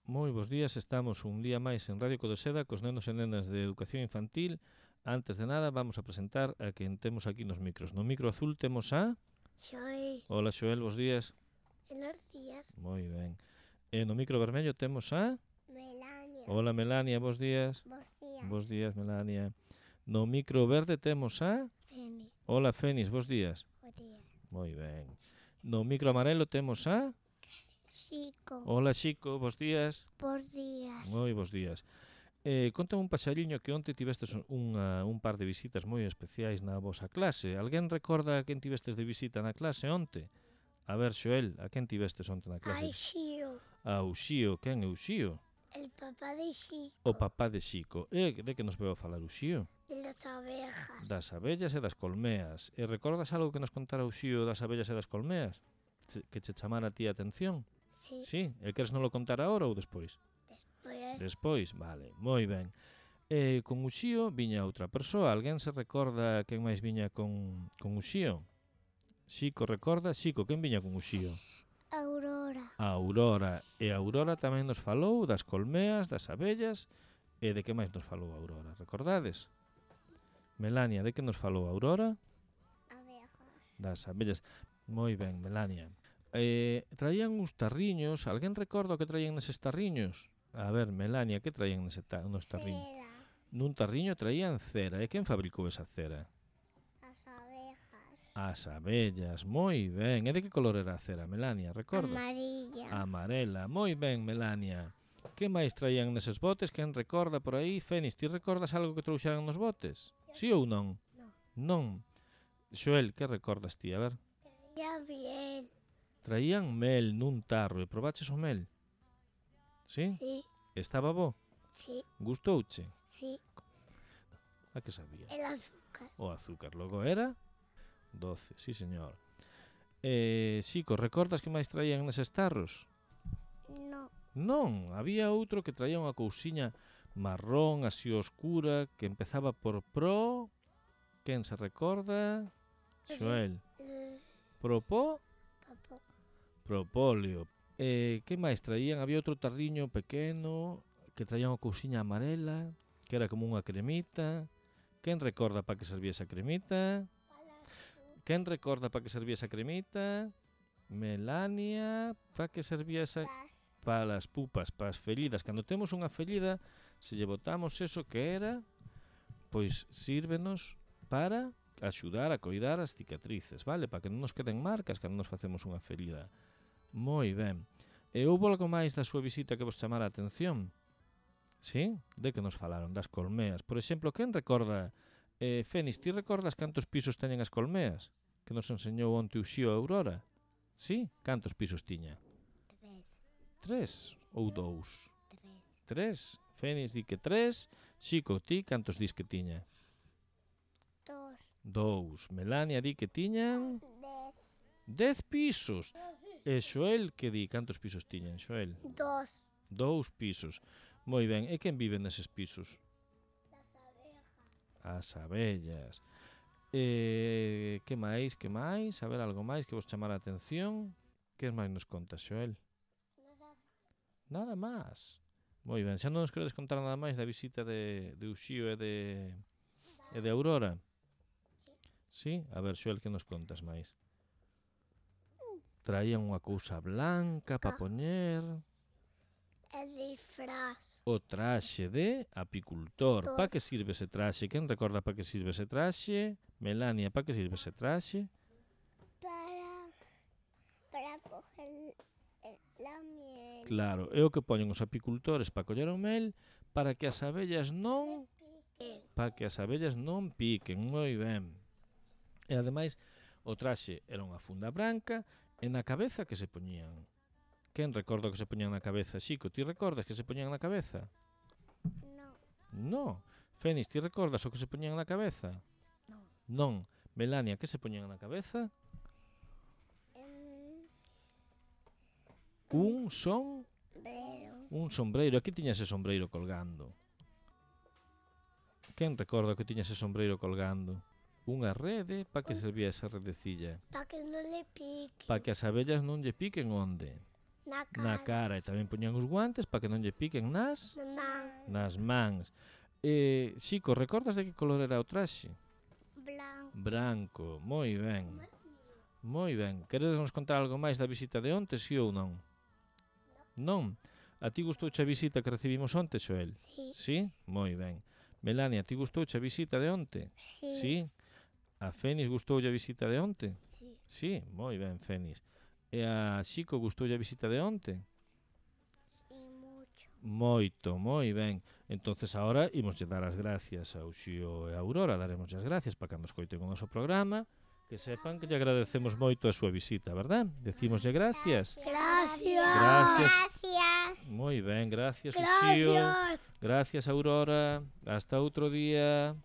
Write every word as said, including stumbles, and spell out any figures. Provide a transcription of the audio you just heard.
Moi bons días, estamos un día máis en Radio Codoseda cos nenos e nenas de Educación Infantil. Antes de nada, vamos a presentar a quen temos aquí nos micros. No micro azul temos a... Xoel. Hola, Xoel, bons días. Buenos días. Moi ben. E no micro vermello temos a... Melania. Hola, Melania, bons días. Bos días. Bos días, Melania. No micro verde temos a... Feni. Hola, Fenis, bos días. Bos días. Moi ben. No micro amarelo temos a... Chico. Hola, Chico, bos días. Bos días. Moi bos días. Eh, contame un paxariño que onte tivestes unha, un par de visitas moi especiais na vosa clase. Alguén recorda a quen tivestes de visita na clase onte? A ver, Xoel, a quen tivestes onte na clase? Ai, Xio. A Uxío. Quen é Uxío? El papá de Chico. O papá de Xico. E de que nos veo a falar Uxío? De las abejas. Das abellas e das colmeas. E recordas algo que nos contara Uxío das abellas e das colmeas? Che, que che chamara a ti a atención? Sí. Sí? E queres non lo contar agora ou despois? Después. Despois, vale, moi ben. E con Uxío viña outra persoa. Alguén se recorda quen máis viña con, con Uxío? Xico recorda? Xico, quen viña con Uxío? Aurora. A Aurora. E a Aurora tamén nos falou das colmeas, das abellas. E de que máis nos falou a Aurora? Recordades? Melania, de que nos falou a Aurora? Abejas. Das abellas. Moi ben, Melania. Eh, traían uns tarriños. Alguén recorda o que traían neses tarriños? A ver, Melania, que traían nese ta nos tarriños? Cera. Nun tarriño traían cera. E quen fabricou esa cera? Las abejas. As abellas. Moi ben. E de que color era a cera, Melania? Recorda? Amarilla. Amarela. Moi ben, Melania. Que máis traían neses botes? Quen recorda por aí? Fenis, ti recordas algo que trouxeran nos botes? Sí ou non? Non. Non. Xoel, que recordas ti? A ver. Ya bien. Traían mel nun tarro. E probaches o mel? Sí? Sí. Estaba bo? Sí. Gustouche? Sí. A que sabía? El azúcar. O azúcar. Logo era doce, sí señor. Eh, Xico, recordas que máis traían neses tarros? No. Non, había outro que traía unha cousiña marrón, así oscura, que empezaba por pro... Quen se recorda? Xoel. Eh, Propó? papá. Propóleo. Eh, que máis traían? Había outro tarriño pequeno que traía unha cousiña amarela, que era como unha cremita. Quen recorda para que servía esa cremita? Quen recorda para que servía esa cremita? Melania, para que servía esa... Para as pupas, para as feridas. Cando temos unha ferida, se lle botamos eso que era, pois sírvenos para axudar a coidar as cicatrices, vale? Para que non nos queden marcas cando nos facemos unha ferida. Moi ben. E houbo algo máis da súa visita que vos chamara a atención? Sí? De que nos falaron? Das colmeas. Por exemplo, quen recorda... Eh, Fenis, ti recordas cantos pisos teñen as colmeas? Que nos enseñou onte Uxío a Aurora? Sí? Cantos pisos tiña? Tres. Tres ou dous? Tres. Tres? Fenis di que tres. Xico, ti cantos dis que tiña? Dos. Dous. Melania di que tiñan... Dez. Dez pisos. E Xoel, que di? Cantos pisos tiñan, Xoel? Dos. Dous pisos. Moi ben. E quen vive neses pisos? Las abejas. As abellas. E que máis, que máis? A ver, algo máis que vos chamara a atención? Que máis nos conta, Xoel? Nada. Nada máis. Moi ben. Xa non nos queredes contar nada máis da visita de, de Uxío e de, e de Aurora? Sí? A ver, Xoel, que nos contas máis? Traían unha cousa blanca para poñer... El disfraz. O traxe de apicultor. Tor. Pa que sirve ese traxe? Quen recorda pa que sirve ese traxe? Melania, pa que sirve ese traxe? Para. Para coger el- la miel. Claro, é o que poñen os apicultores para coller o mel para que as abellas non... Pique. para que as abellas non piquen. Moi ben. E ademais, o traxe era unha funda branca e na cabeza que se poñían. Quen recorda o que se poñían na cabeza? Xico, ti recordas que se poñían na cabeza? No. No. Fenis, ti recordas o que se poñían na cabeza? No. Non. Melania, que se poñían na cabeza? Em, Un son... Pero. Un sombreiro. Aquí tiña ese sombreiro colgando. Quen recorda que tiña ese sombreiro colgando? Unha rede, para que servía esa redecilla? Para que no le pique. Para que as abellas non lle piquen onde? Na cara. na cara e tamén poñían os guantes para que non lle piquen nas Na man. nas mans. Eh, Xico, recordas de que color era o traxe? Blanco. Branco, moi ben. Moi ben. Queredes nos contar algo máis da visita de onte, si ou non? Non? A ti gustouche a visita que recibimos onte, Xoel? Sí. Sí? Moi ben. Melania, a ti gustouche a visita de onte? Sí. Sí? A Fénix gustoulle a visita de onte? Sí. Sí, moi ben, Fénix. E a Xico gustoulle a visita de onte? Sí, mucho. Moito, moi ben. Entonces agora imos dar as gracias ao Xio e a Aurora, daremos as gracias para cando escoiten o noso programa, que sepan que lle agradecemos moito a súa visita, verdad? Decímoslle gracias. Gracias. Gracias. Gracias. Moi ben, gracias, Uxío. Gracias. Gracias, Aurora. Hasta outro día.